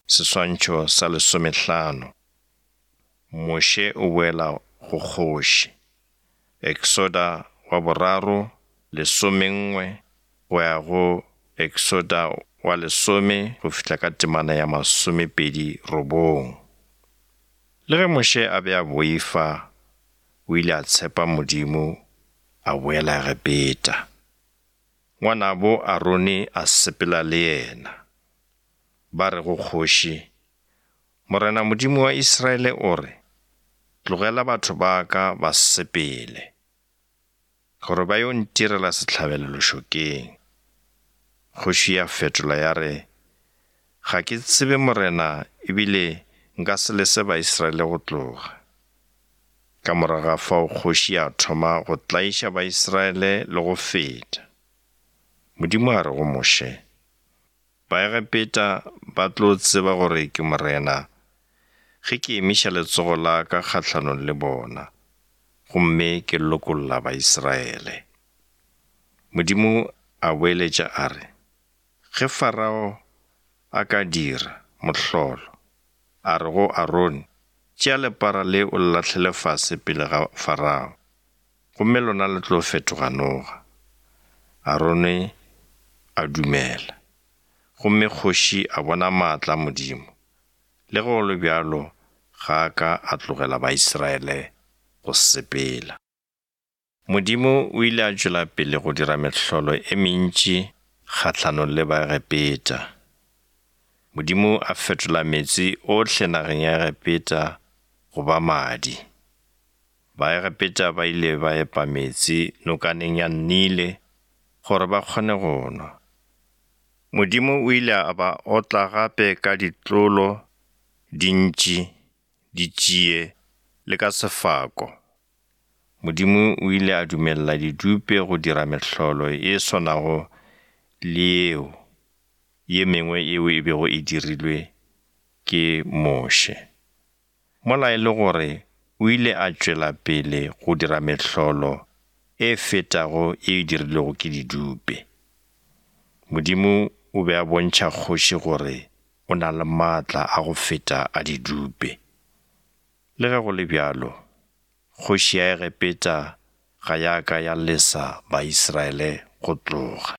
Seswantšho sa lesomehlano. Moshe o boela go kgoši. Eksoda wa boraro, lesomenngwe, go ya go Eksoda wa lesome go fihla ka temana ya masomepedi robong. Le ge Moshe a be a boifa, o ile a tshepa Modimo a boela Egepeta. Ngwanabo Arone a sepela le yena. Ba re go kgoši, Morena Modimo wa Israele o re, Tlogela batho ba ka ba sepele, gore ba yo ntirela sehlabelo lešokeng. Kgoši ya fetola ya re, Ga ke tsebe Morena ebile nka se lese Baisraele go tloga. Ka morago ga fao kgoši ya thoma go tlaiša Baisraele le go feta. Modimo a re go Moshe, Baegepeta ba tlo tseba gore ke Morena ge ke emiša letsogo la ka kgahlanong le bona gomme ke lokolla Baisraele. Modimo a boeletša a re, Ge Farao a ka dira mohlolo, a re go Arone, Tšea lepara le o le lahlele fase pele ga Farao, gomme lona le tlo fetoga noga. Arone a dumela, gomme kgoši a bona maatla a Modimo. Le ge go le bjalo ga a ka a tlogela Baisraele go sepela. Modimo o ile a tšwela pele go dira mehlolo e mentši kgahlanong le Baegepeta. Modimo a fetola meetse ohle nageng ya Egepeta go ba madi. Baegepeta ba ile ba epa meetse nokaneng ya Nile gore ba kgone go nwa. Modimo o ile a ba otla gape ka ditlolo, dintši, ditšie le ka sefako. Modimo o ile a dumelela didupe go dira mehlolo e swanago le yeo ye mengwe yeo e bego e dirilwe ke Moshe. Mola e le gore o ile a tšwela pele go dira mehlolo e fetago ye e dirilwego ke didupe. Modimo o be a bontšha kgoši gore o na le maatla a go feta a didupe. Le ge go le bjalo, kgoši ya Egepeta ga ya ka ya lesa Baisraele go tloga.